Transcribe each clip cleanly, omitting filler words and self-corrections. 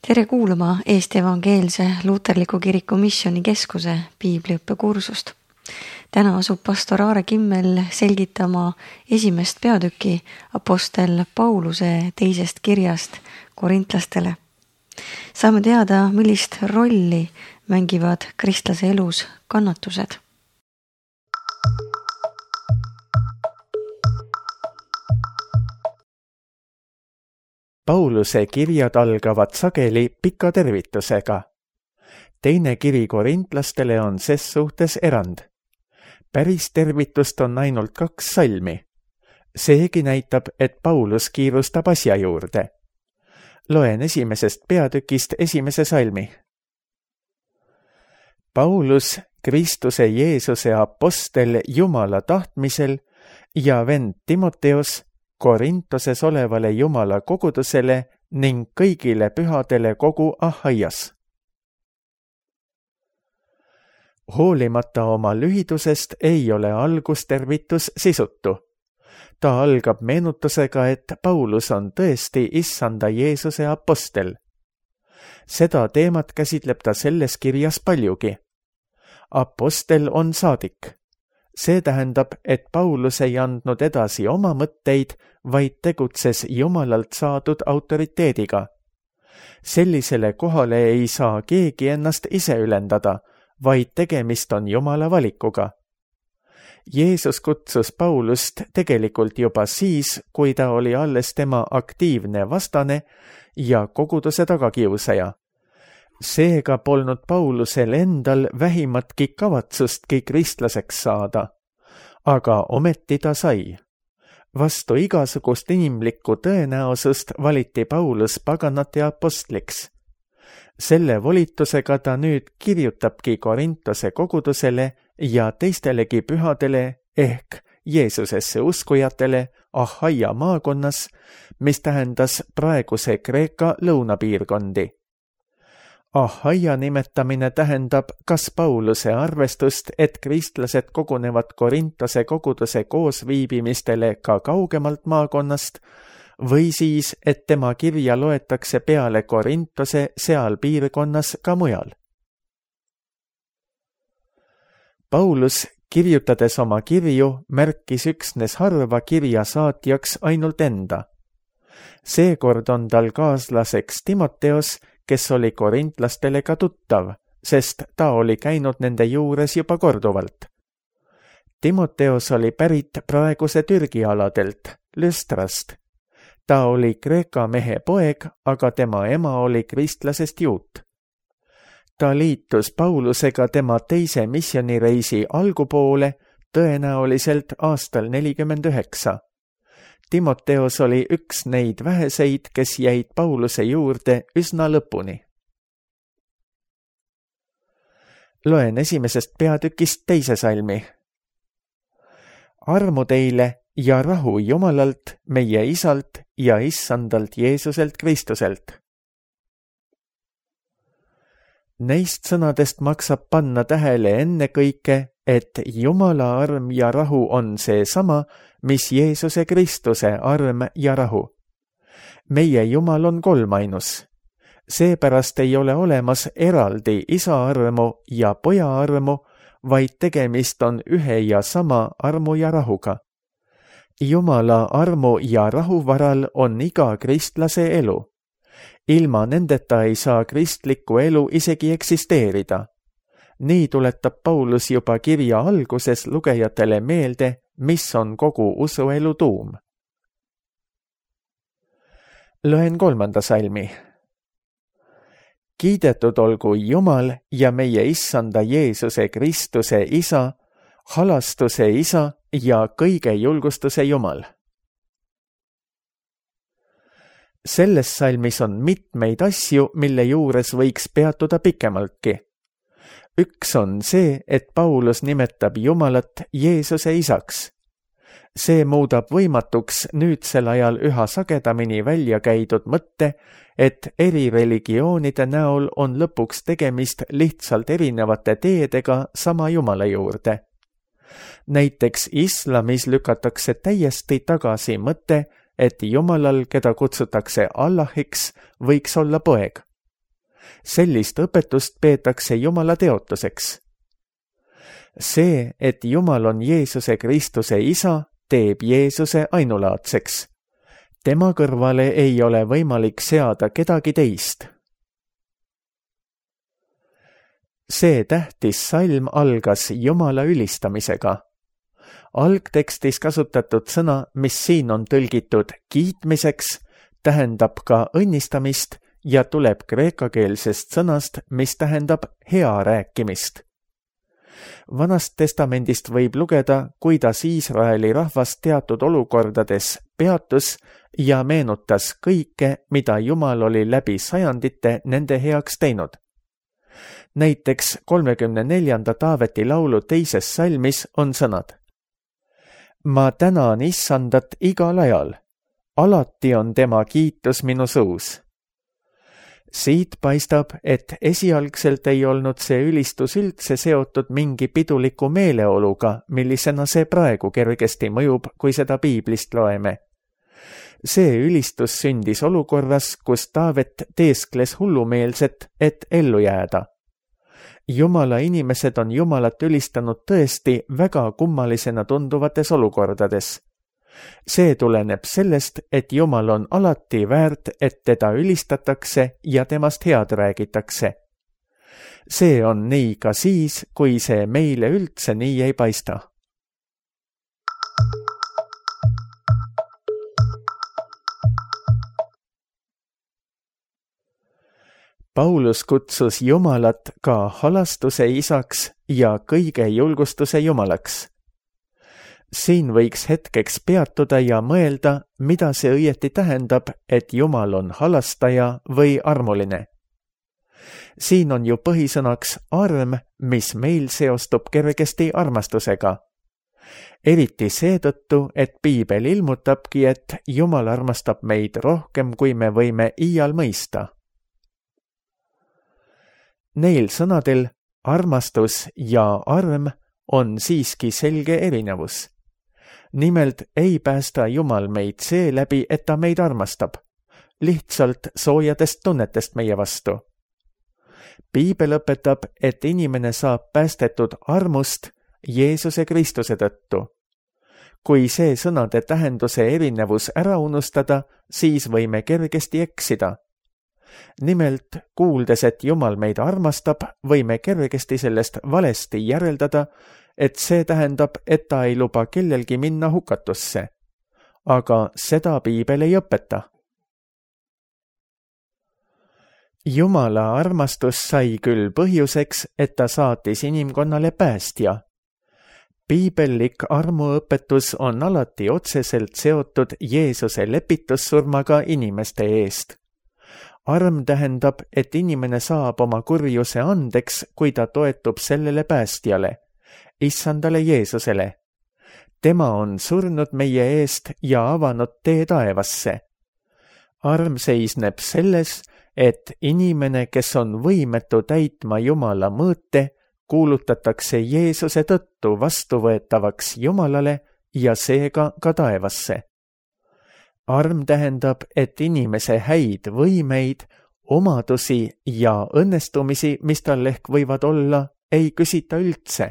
Tere kuulama Eesti Evangeelse Luterliku Kiriku Missioonikeskuse piibliõppekursust. Täna asub pastor Aare Kimmel selgitama esimest peatüki apostel Pauluse teisest kirjast korintlastele. Saame teada, millist rolli mängivad kristlase elus kannatused. Pauluse kirjad algavad sageli pika tervitusega. Teine kiri korintlastele on ses suhtes erand. Päris tervitust on ainult 2 salmi. Seegi näitab, et Paulus kiirustab asja juurde. Loen esimesest peatükist 1. salmi. Paulus, Kristuse Jeesuse apostel Jumala tahtmisel ja vend Timoteos Korintoses olevale Jumala kogudusele ning kõigile pühadele kogu Ahaias. Hoolimata oma lühidusest ei ole algustervitus sisutu. Ta algab meenutusega, et Paulus on tõesti Issanda Jeesuse apostel. Seda teemat käsitleb ta selles kirjas paljugi. Apostel on saadik. See tähendab, et Paulus ei andnud edasi oma mõtteid, vaid tegutses Jumalalt saadud autoriteediga. Sellisele kohale ei saa keegi ennast ise ülendada, vaid tegemist on Jumala valikuga. Jeesus kutsus Paulust tegelikult juba siis, kui ta oli alles tema aktiivne vastane ja koguduse tagakiusaja. Seega polnud Paulusel endal vähimatki kavatsustki kristlaseks saada, aga ometi ta sai. Vastu igasugust inimlikku tõenäosust valiti Paulus paganate apostliks. Selle volitusega ta nüüd kirjutabki Korintose kogudusele ja teistelegi pühadele ehk Jeesusesse uskujatele Ahaia maakonnas, mis tähendas praeguse Kreeka lõunapiirkondi. Ahaia nimetamine tähendab kas Pauluse arvestust, et kristlased kogunevad Korintose koguduse koosviibimistele ka kaugemalt maakonnast, või siis, et tema kirja loetakse peale Korintose seal piirkonnas ka mujal. Paulus, kirjutades oma kirju, märkis üksnes harva kirja saatjaks ainult enda. Seekord on tal kaaslaseks Timoteos, kes oli korintlastele ka tuttav, sest ta oli käinud nende juures juba korduvalt. Timoteos oli pärit praeguse Türgi aladelt, Lüstrast. Ta oli Kreeka mehe poeg, aga tema ema oli kristlasest juut. Ta liitus Paulusega tema teise missioonireisi algupoole, tõenäoliselt aastal 49. Timoteos oli üks neid väheseid, kes jäid Pauluse juurde üsna lõpuni. Loen esimesest peatükist 2. salmi. Armu teile ja rahu Jumalalt, meie Isalt ja Issandalt Jeesuselt Kristuselt. Neist sõnadest maksab panna tähele ennekõike, et Jumala arm ja rahu on seesama, mis Jeesuse Kristuse arm ja rahu. Meie Jumal on kolmainus. Seepärast ei ole olemas eraldi isa armu ja poja armu, vaid tegemist on ühe ja sama armu ja rahuga. Jumala armu ja rahu varal on iga kristlase elu. Ilma nendeta ei saa kristlikku elu isegi eksisteerida. Nii tuletab Paulus juba kirja alguses lugejatele meelde, mis on kogu usuelu tuum. Loen 3. salmi. Kiidetud olgu Jumal ja meie Issanda Jeesuse Kristuse Isa, halastuse Isa ja kõige julgustuse Jumal. Selles salmis on mitmeid asju, mille juures võiks peatuda pikemaltki. Üks on see, et Paulus nimetab Jumalat Jeesuse Isaks. See muudab võimatuks nüüdsel ajal üha sagedamini välja käidud mõtte, et eri religioonide näol on lõpuks tegemist lihtsalt erinevate teedega sama Jumala juurde. Näiteks islamis lükatakse täiesti tagasi mõte, et Jumalal, keda kutsutakse Allahiks, võiks olla poeg. sellist õpetust peetakse Jumala teotuseks. See, et Jumal on Jeesuse Kristuse isa, teeb Jeesuse ainulaadseks. Tema kõrvale ei ole võimalik seada kedagi teist. See tähtis salm algas Jumala ülistamisega. Algtekstis kasutatud sõna, mis siin on tõlgitud kiitmiseks, tähendab ka õnnistamist ja tuleb kreekakeelsest sõnast, mis tähendab hea rääkimist. Vanast testamendist võib lugeda, kuidas Iisraeli rahvas teatud olukordades peatus ja meenutas kõike, mida Jumal oli läbi sajandite nende heaks teinud. Näiteks 34. Taaveti laulu 2. salmis on sõnad: Ma tänan Issandat igal ajal, alati on tema kiitus minu suus. Siit paistab, et esialgselt ei olnud see ülistus üldse seotud mingi piduliku meeleoluga, millisena see praegu kergesti mõjub, kui seda piiblist loeme. See ülistus sündis olukorras, kus Taavet teeskles hullumeelset, et ellu jääda. Jumala inimesed on Jumalat ülistanud tõesti väga kummalisena tunduvates olukordades. See tuleneb sellest, et Jumal on alati väärt, et teda ülistatakse ja temast head räägitakse. See on nii ka siis, kui see meile üldse nii ei paista. Paulus kutsus Jumalat ka halastuse isaks ja kõige julgustuse Jumalaks. Siin võiks hetkeks peatuda ja mõelda, mida see õieti tähendab, et Jumal on halastaja või armuline. Siin on ju põhisõnaks arm, mis meil seostub kergesti armastusega. Eriti seetõttu, et piibel ilmutabki, et Jumal armastab meid rohkem, kui me võime iial mõista. Neil sõnadel armastus ja arm on siiski selge erinevus. Nimelt ei päästa Jumal meid seeläbi, et ta meid armastab, lihtsalt soojadest tunnetest meie vastu. Piibel õpetab, et inimene saab päästetud armust Jeesuse Kristuse tõttu. Kui see sõnade tähenduse erinevus ära unustada, siis võime kergesti eksida. Nimelt, kuuldes, et Jumal meid armastab, võime kergesti sellest valesti järeldada, et see tähendab, et ta ei luba kellelgi minna hukatusse. Aga seda piibel ei õpeta. Jumala armastus sai küll põhjuseks, et ta saatis inimkonnale päästja. Piibellik armuõpetus on alati otseselt seotud Jeesuse lepitussurmaga inimeste eest. Arm tähendab, et inimene saab oma kurjuse andeks, kui ta toetub sellele päästjale, Issandale Jeesusele. Tema on surnud meie eest ja avanud tee taevasse. Arm seisneb selles, et inimene, kes on võimetu täitma Jumala mõõte, kuulutatakse Jeesuse tõttu vastuvõetavaks Jumalale ja seega ka taevasse. Arm tähendab, et inimese häid võimeid, omadusi ja õnnestumisi, mis tal ehk võivad olla, ei küsita üldse.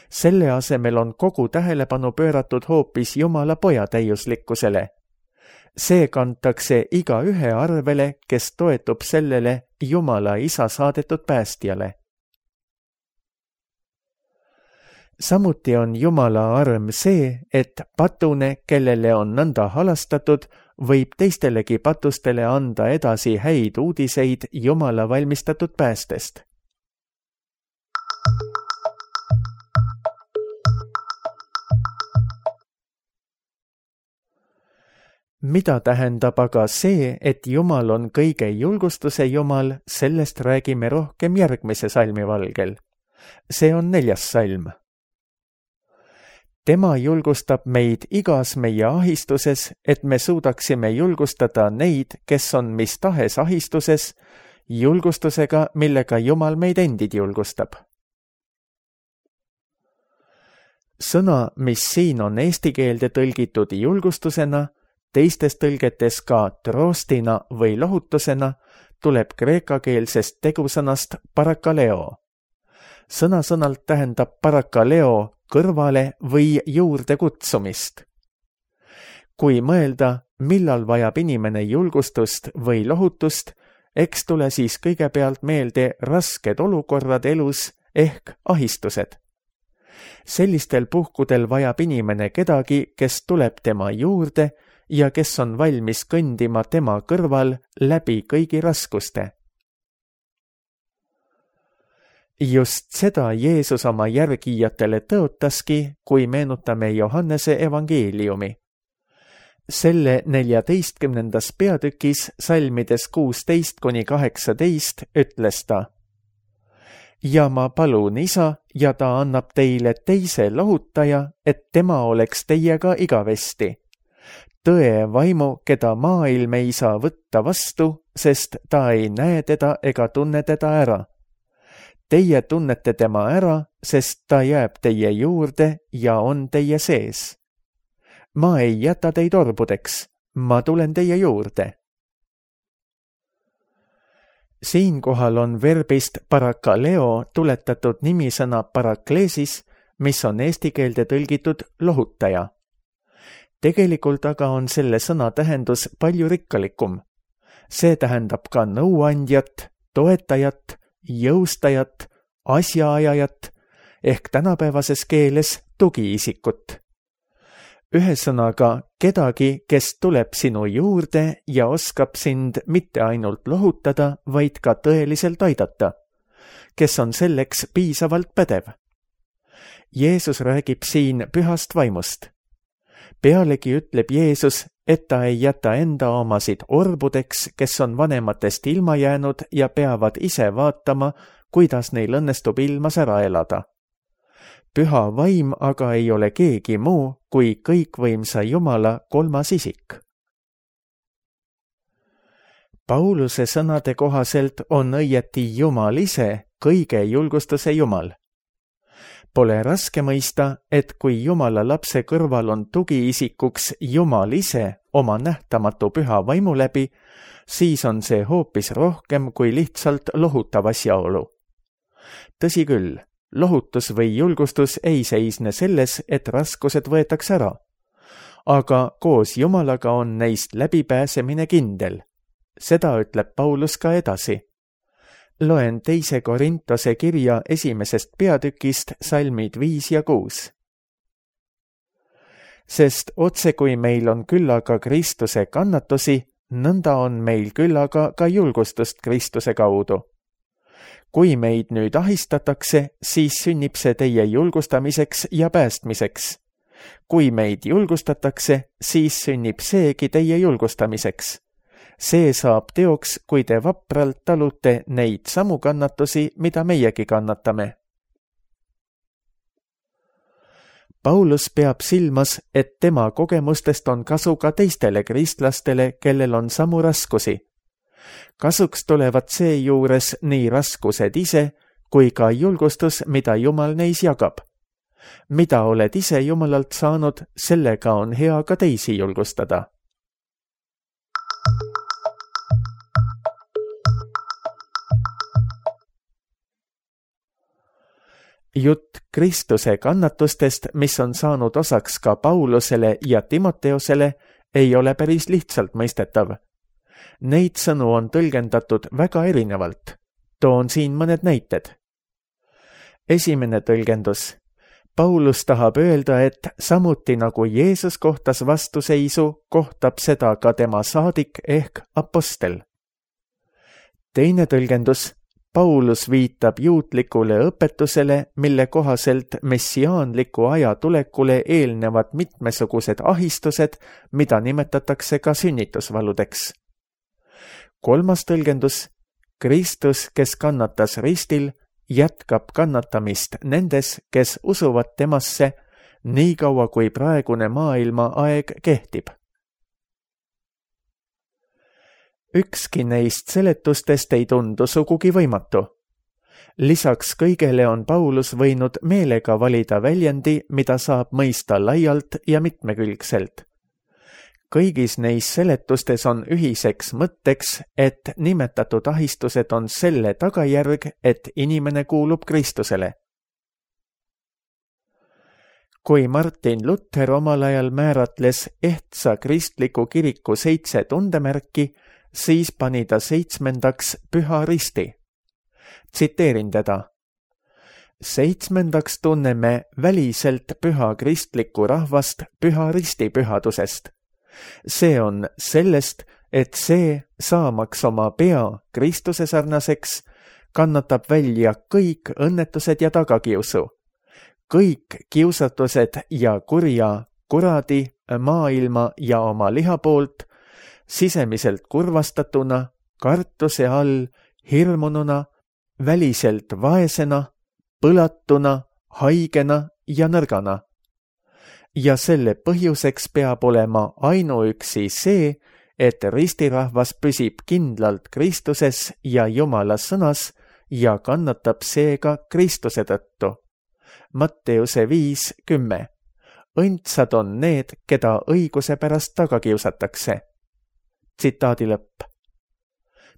Selle asemel on kogu tähelepanu pööratud hoopis Jumala poja täiuslikkusele. See kantakse igaühe arvele, kes toetub sellele Jumala isa saadetud päästjale. Samuti on Jumala arm see, et patune, kellele on nõnda halastatud, võib teistelegi patustele anda edasi häid uudiseid Jumala valmistatud päästest. Mida tähendab aga see, et Jumal on kõige julgustuse Jumal, sellest räägime rohkem järgmise salmi valgel. See on 4. salm. Tema julgustab meid igas meie ahistuses, et me suudaksime julgustada neid, kes on mis tahes ahistuses, julgustusega, millega Jumal meid endid julgustab. Sõna, mis siin on eesti keelde tõlgitud julgustusena, teistes tõlgetes ka troostina või lohutusena, tuleb kreekakeelsest tegusõnast parakaleo. Sõna-sõnalt tähendab parakaleo kõrvale või juurde kutsumist. Kui mõelda, millal vajab inimene julgustust või lohutust, eks tule siis kõigepealt meelde rasked olukorrad elus ehk ahistused. Sellistel puhkudel vajab inimene kedagi, kes tuleb tema juurde ja kes on valmis kõndima tema kõrval läbi kõigi raskuste. Just seda Jeesus oma järgijatele tõotaski, kui meenutame Johannese evangeeliumi. Selle 14. peatükis salmides 16-18 ütles ta: ja ma palun Isa ja ta annab teile teise lohutaja, et tema oleks teiega igavesti. Tõe vaimu, keda maailm ei saa võtta vastu, sest ta ei näe teda ega tunne teda ära. Teie tunnete tema ära, sest ta jääb teie juurde ja on teie sees. Ma ei jäta teid orbudeks, ma tulen teie juurde. Siinkohal on verbist parakaleo tuletatud nimisõna parakleesis, mis on eesti keelde tõlgitud lohutaja. Tegelikult aga on selle sõna tähendus palju rikkalikum. See tähendab ka nõuandjat, toetajat, jõustajat, asjaajajat ehk tänapäevases keeles tugiisikut. Ühesõnaga kedagi, kes tuleb sinu juurde ja oskab sind mitte ainult lohutada, vaid ka tõeliselt aidata, kes on selleks piisavalt pädev. Jeesus räägib siin pühast vaimust. Pealegi ütleb Jeesus, et ta ei jäta enda omasid orbudeks, kes on vanematest ilma jäänud ja peavad ise vaatama, kuidas neil õnnestub ilmas ära elada. Püha vaim aga ei ole keegi muu kui kõikvõimsa Jumala kolmas isik. Pauluse sõnade kohaselt on õieti Jumal ise kõige julgustuse Jumal. Pole raske mõista, et kui Jumala lapse kõrval on tugiisikuks Jumal ise oma nähtamatu püha vaimu läbi, siis on see hoopis rohkem kui lihtsalt lohutav asjaolu. Tõsi küll, lohutus või julgustus ei seisne selles, et raskused võetakse ära. Aga koos Jumalaga on neist läbipääsemine kindel. Seda ütleb Paulus ka edasi. Loen 2. Korintose kirja 1. peatükist salmid 5 ja 6. Sest otse kui meil on küllaga Kristuse kannatusi, nõnda on meil küllaga ka julgustust Kristuse kaudu. Kui meid nüüd ahistatakse, siis sünnib see teie julgustamiseks ja päästmiseks. Kui meid julgustatakse, siis sünnib seegi teie julgustamiseks. See saab teoks, kui te vapralt talute neid samu kannatusi, mida meiegi kannatame. Paulus peab silmas, et tema kogemustest on kasu ka teistele kristlastele, kellel on samu raskusi. Kasuks tulevad seejuures nii raskused ise, kui ka julgustus, mida Jumal neis jagab. Mida oled ise Jumalalt saanud, sellega on hea ka teisi julgustada. Jutt Kristuse kannatustest, mis on saanud osaks ka Paulusele ja Timoteosele, ei ole päris lihtsalt mõistetav. Neid sõnu on tõlgendatud väga erinevalt. Toon siin mõned näited. Esimene tõlgendus. Paulus tahab öelda, et samuti nagu Jeesus kohtas vastuseisu, kohtab seda ka tema saadik ehk apostel. Teine tõlgendus. Paulus viitab juutlikule õpetusele, mille kohaselt messiaanliku aja tulekule eelnevad mitmesugused ahistused, mida nimetatakse ka sünnitusvaludeks. Kolmas tõlgendus. Kristus, kes kannatas ristil, jätkab kannatamist nendes, kes usuvad temasse, nii kaua kui praegune maailma aeg kehtib. Ükski neist seletustest ei tundu sugugi võimatu. Lisaks kõigele on Paulus võinud meelega valida väljendi, mida saab mõista laialt ja mitmekülgselt. kõigis neis seletustes on ühiseks mõtteks, et nimetatud ahistused on selle tagajärg, et inimene kuulub Kristusele. Kui Martin Luther omal ajal määratles ehtsa kristliku kiriku 7 tundemärki, siis pani ta 7. Püha Risti. Tsiteerin teda. 7. tunneme väliselt püha kristlikku rahvast Püha Risti pühadusest. See on sellest, et see, saamaks oma pea Kristuse sarnaseks, kannatab välja kõik õnnetused ja tagakiusu. Kõik kiusatused ja kurja, kuradi, maailma ja oma liha poolt, sisemiselt kurvastatuna, kartuse all, hirmununa, väliselt vaesena, põlatuna, haigena ja nõrgana. Ja selle põhjuseks peab olema ainuüksi see, et ristirahvas püsib kindlalt Kristuses ja Jumala sõnas ja kannatab seega Kristuse tõttu. Matteuse 5:10. Õndsad on need, keda õiguse pärast taga kiusatakse. Tsitaadi lõpp.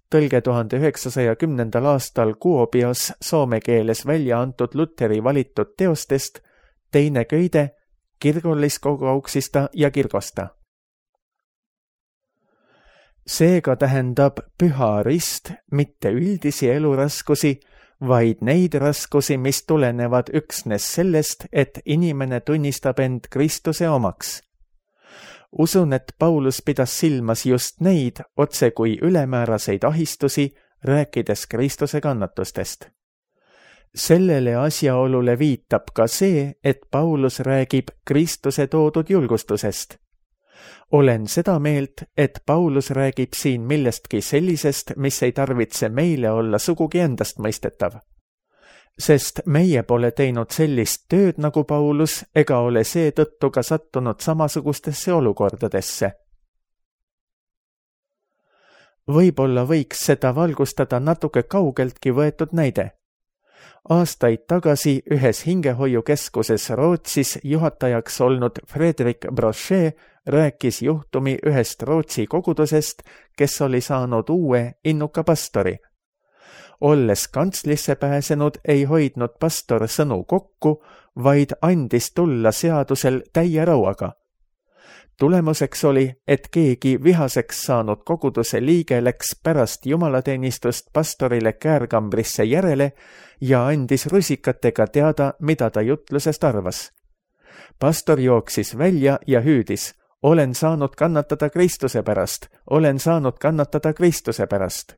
Tõlge 1910. aastal Kuopios soome keeles välja antud Lutheri valitud teostest, teine köide Kirkolliskogouksista ja kirkosta. Seega tähendab Püha Rist mitte üldisi eluraskusi, vaid neid raskusi, mis tulenevad üksnes sellest, et inimene tunnistab end Kristuse omaks. Usun, et Paulus pidas silmas just neid otse kui ülemääraseid ahistusi, rääkides Kristuse kannatustest. Sellele asjaolule viitab ka see, et Paulus räägib Kristuse toodud julgustusest. Olen seda meelt, et Paulus räägib siin millestki sellisest, mis ei tarvitse meile olla sugugi endastmõistetav. Sest meie pole teinud sellist tööd nagu Paulus ega ole seetõttu ka sattunud samasugustesse olukordadesse. Võib-olla võiks seda valgustada natuke kaugeltki võetud näide. Aastaid tagasi ühes hingehoiukeskuses Rootsis juhatajaks olnud Fredrik Brochet rääkis juhtumi ühest Rootsi kogudusest, kes oli saanud uue innuka pastori. Olles kantslisse pääsenud, ei hoidnud pastor sõnu kokku, vaid andis tulla seadusel täie rauaga. Tulemuseks oli, et keegi vihaseks saanud koguduse liige läks pärast jumalateenistust pastorile käärkambrisse järele ja andis rusikatega teada, mida ta jutlusest arvas. Pastor jooksis välja ja hüüdis, olen saanud kannatada Kristuse pärast, olen saanud kannatada Kristuse pärast.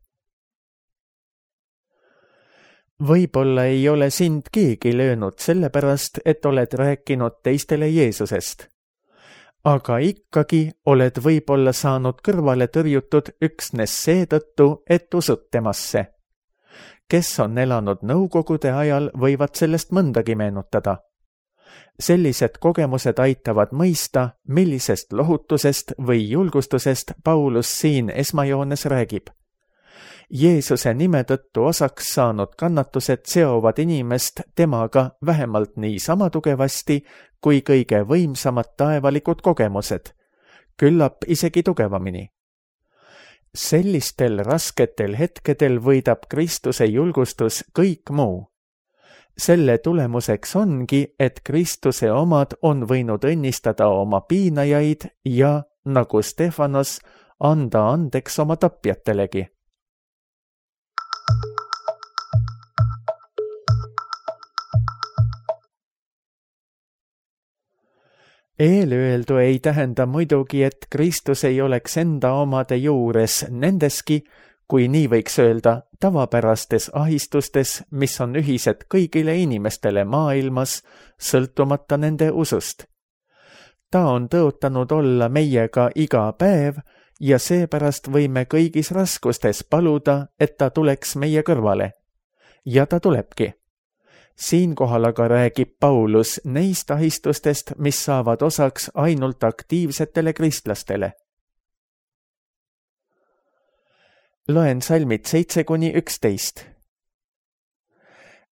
Võib-olla ei ole sind keegi löönud sellepärast, et oled rääkinud teistele Jeesusest. Aga ikkagi oled võib-olla saanud kõrvale tõrjutud üksnes seetõttu, et usud temasse. Kes on elanud nõukogude ajal, võivad sellest mõndagi meenutada. Sellised kogemused aitavad mõista, millisest lohutusest või julgustusest Paulus siin esmajoones räägib. Jeesuse nime tõttu osaks saanud kannatused seovad inimest temaga vähemalt niisama tugevasti kui kõige võimsamad taevalikud kogemused, küllap isegi tugevamini. Sellistel rasketel hetkedel võidab Kristuse julgustus kõik muu. Selle tulemuseks ongi, et Kristuse omad on võinud õnnistada oma piinajaid ja, nagu Stefanos, anda andeks oma tapjatelegi. Eelöeldu ei tähenda muidugi, et Kristus ei oleks enda omade juures nendeski, kui nii võiks öelda, tavapärastes ahistustes, mis on ühised kõigile inimestele maailmas, sõltumata nende usust. Ta on tõotanud olla meiega iga päev ja seepärast võime kõigis raskustes paluda, et ta tuleks meie kõrvale. Ja ta tulebki. Siinkohal aga räägib Paulus neist ahistustest, mis saavad osaks ainult aktiivsetele kristlastele. Loen salmid 7-11.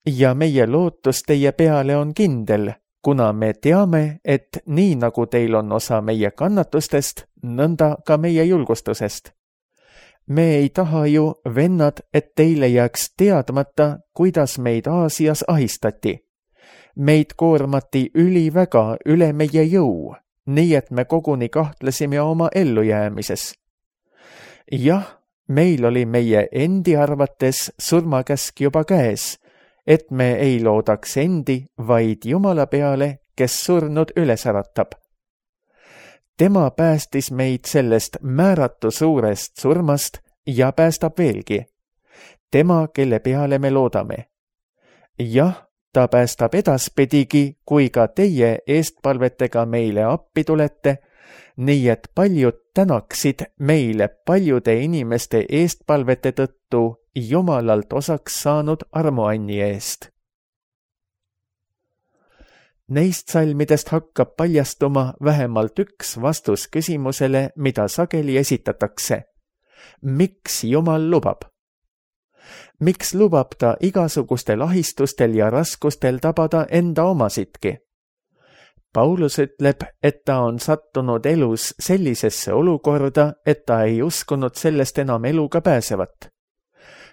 Ja meie lootus teie peale on kindel, kuna me teame, et nii nagu teil on osa meie kannatustest, nõnda ka meie julgustusest. Me ei taha ju, vennad, et teile jääks teadmata, kuidas meid Aasias ahistati. Meid koormati üliväga üle meie jõu, nii et me koguni kahtlesime oma ellujäämises. Jah, meil oli meie endi arvates surmakäsk juba käes, et me ei loodaks endi, vaid Jumala peale, kes surnud üles äratab. Tema päästis meid sellest määratu suurest surmast ja päästab veelgi. Tema, kelle peale me loodame. Jah, ta päästab edaspidigi, kui ka teie eestpalvetega meile appi tulete, nii et paljud tänaksid meile paljude inimeste eestpalvete tõttu Jumalalt osaks saanud armuanni eest. Neist salmidest hakkab paljastuma vähemalt üks vastus küsimusele, mida sageli esitatakse. Miks Jumal lubab? Miks lubab ta igasugustel ahistustel ja raskustel tabada enda omasidki? Paulus ütleb, et ta on sattunud elus sellisesse olukorda, et ta ei uskunud sellest enam eluga pääsevat.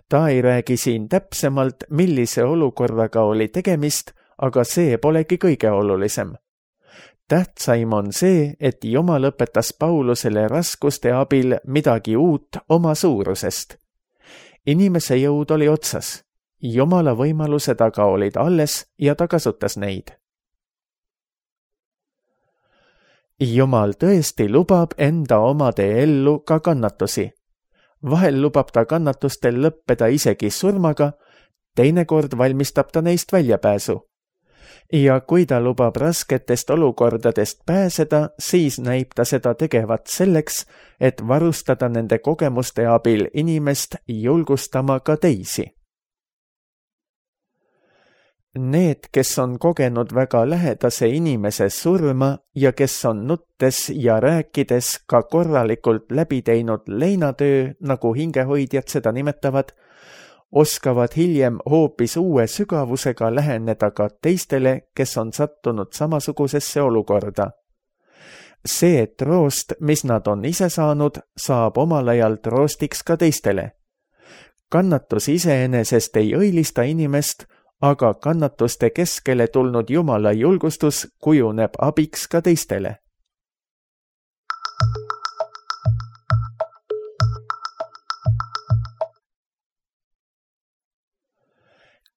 Ta ei räägi siin täpsemalt, millise olukorraga oli tegemist, aga see polegi kõige olulisem. Tähtsaim on see, et Jumal õpetas Paulusele raskuste abil midagi uut oma suurusest. Inimese jõud oli otsas, Jumala võimalused aga olid alles ja ta kasutas neid. Jumal tõesti lubab enda omade ellu ka kannatusi. Vahel lubab ta kannatustel lõppeda isegi surmaga, teinekord valmistab ta neist väljapääsu. Ja kui ta lubab rasketest olukordadest pääseda, siis näib ta seda tegevat selleks, et varustada nende kogemuste abil inimest julgustama ka teisi. Need, kes on kogenud väga lähedase inimese surma ja kes on nuttes ja rääkides ka korralikult läbi teinud leinatöö, nagu hingehoidjad seda nimetavad, oskavad hiljem hoopis uue sügavusega läheneda ka teistele, kes on sattunud samasugusesse olukorda. See troost, mis nad on ise saanud, saab omal ajal troostiks ka teistele. Kannatus iseenesest ei õilista inimest, aga kannatuste keskele tulnud Jumala julgustus kujuneb abiks ka teistele.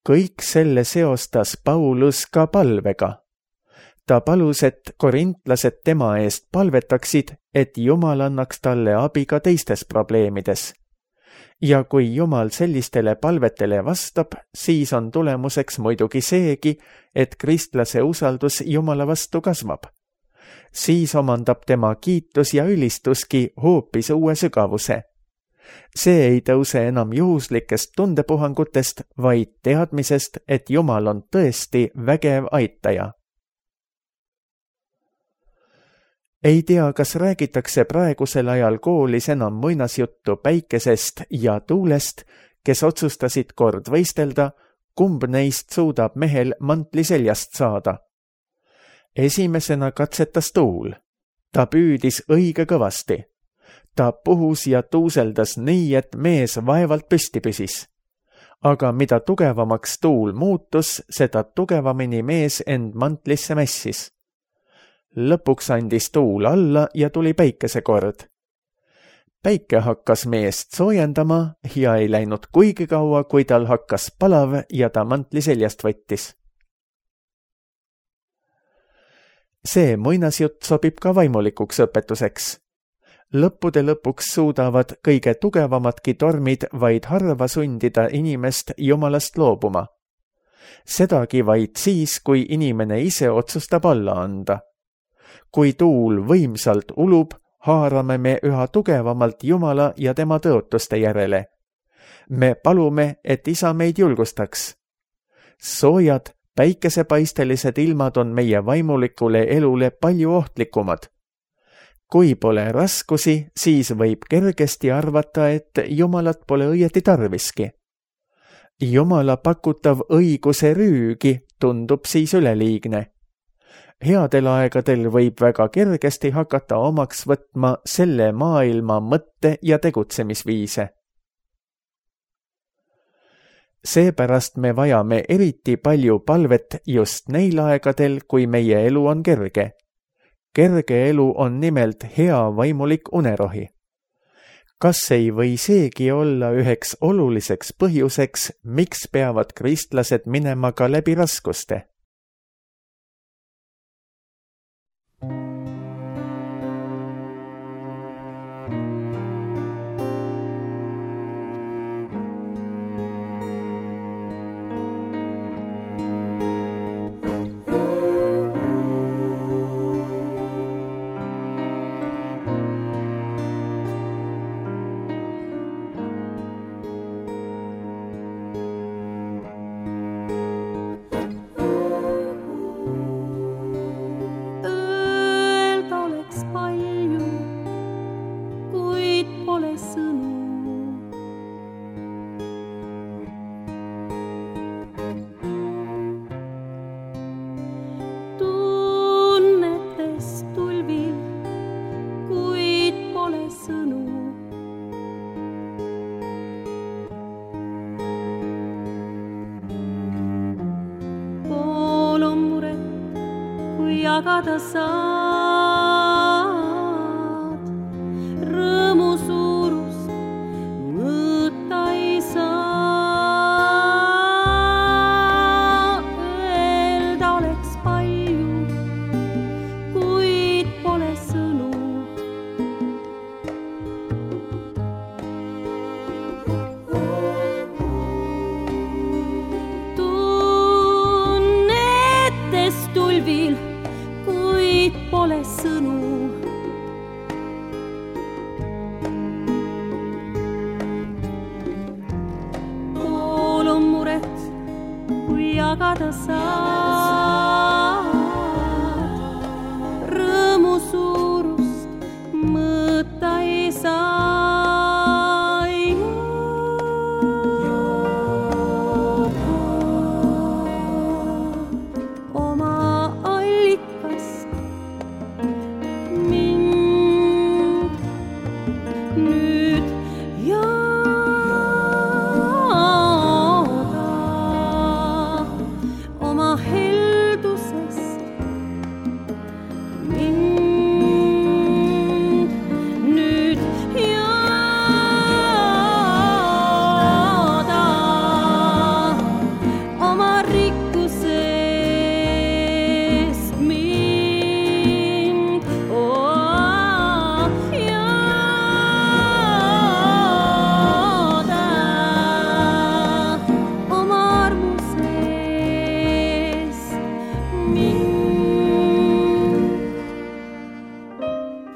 Kõik selle seostas Paulus ka palvega. Ta palus, et korintlased tema eest palvetaksid, et Jumal annaks talle abi ka teistes probleemides. Ja kui Jumal sellistele palvetele vastab, siis on tulemuseks muidugi seegi, et kristlase usaldus Jumala vastu kasvab. Siis omandab tema kiitus ja ülistuski hoopis uue sügavuse. See ei tõuse enam juhuslikest tundepuhangutest, vaid teadmisest, et Jumal on tõesti vägev aitaja. Ei tea, kas räägitakse praegusel ajal koolis enam muinasjuttu päikesest ja tuulest, kes otsustasid kord võistelda, kumb neist suudab mehel mantli seljast saada. Esimesena katsetas tuul. Ta püüdis õige kõvasti. Ta puhus ja tuuseldas nii, et mees vaevalt püsti püsis. Aga mida tugevamaks tuul muutus, seda tugevamini mees end mantlisse mässis. Lõpuks andis tuul alla ja tuli päikesekord. Päike hakkas meest soojendama ja ei läinud kuigi kaua, kui tal hakkas palav ja ta mantli seljast võttis. See muinasjutt sobib ka vaimulikuks õpetuseks. Lõppude lõpuks suudavad kõige tugevamadki tormid vaid harva sundida inimest Jumalast loobuma. Sedagi vaid siis, kui inimene ise otsustab alla anda. Kui tuul võimsalt ulub, haarame me üha tugevamalt Jumala ja tema tõotuste järele. Me palume, et Isa meid julgustaks. Soojad, päikesepaistelised ilmad on meie vaimulikule elule palju ohtlikumad. Kui pole raskusi, siis võib kergesti arvata, et Jumalat pole õieti tarviski. Jumala pakutav õiguse rüügi tundub siis üleliigne. Headel aegadel võib väga kergesti hakata omaks võtma selle maailma mõtte- ja tegutsemisviise. Seepärast me vajame eriti palju palvet just neil aegadel, kui meie elu on kerge. Kerge elu on nimelt hea vaimulik unerohi. Kas ei või seegi olla üheks oluliseks põhjuseks, miks peavad kristlased minema ka läbi raskuste? Jagada saad, rõõmu suurust mõõta ei saa. Öelda oleks palju, kuid pole sõnu. Tunnetes tulvil pole sõnu. Pool on muret, kui jagada saad, rõõmu suurust mõõta ei saa.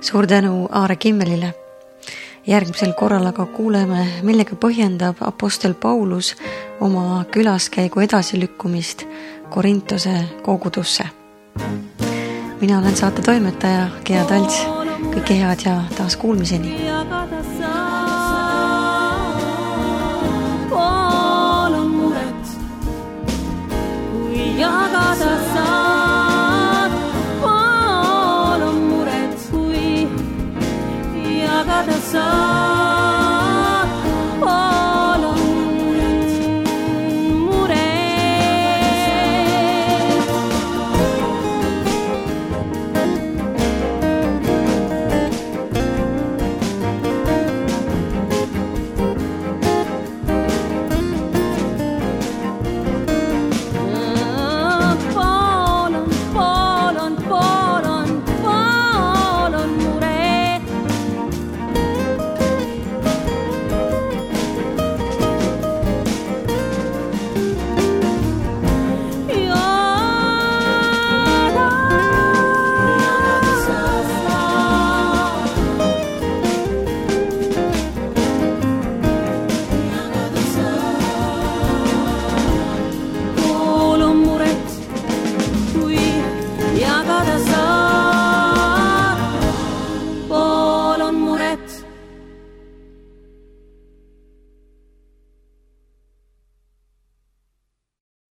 Suur tänu Aare Kimmelile. Järgmisel korral aga kuuleme, millega põhjendab apostel Paulus oma külaskäigu edasilükkumist Korintuse kogudusse. Mina olen saate toimetaja Gea Talts. Kõike head ja taas kuulmiseni. Pool on muret, kui jagada saad. Pool on muret, kui jagada saad.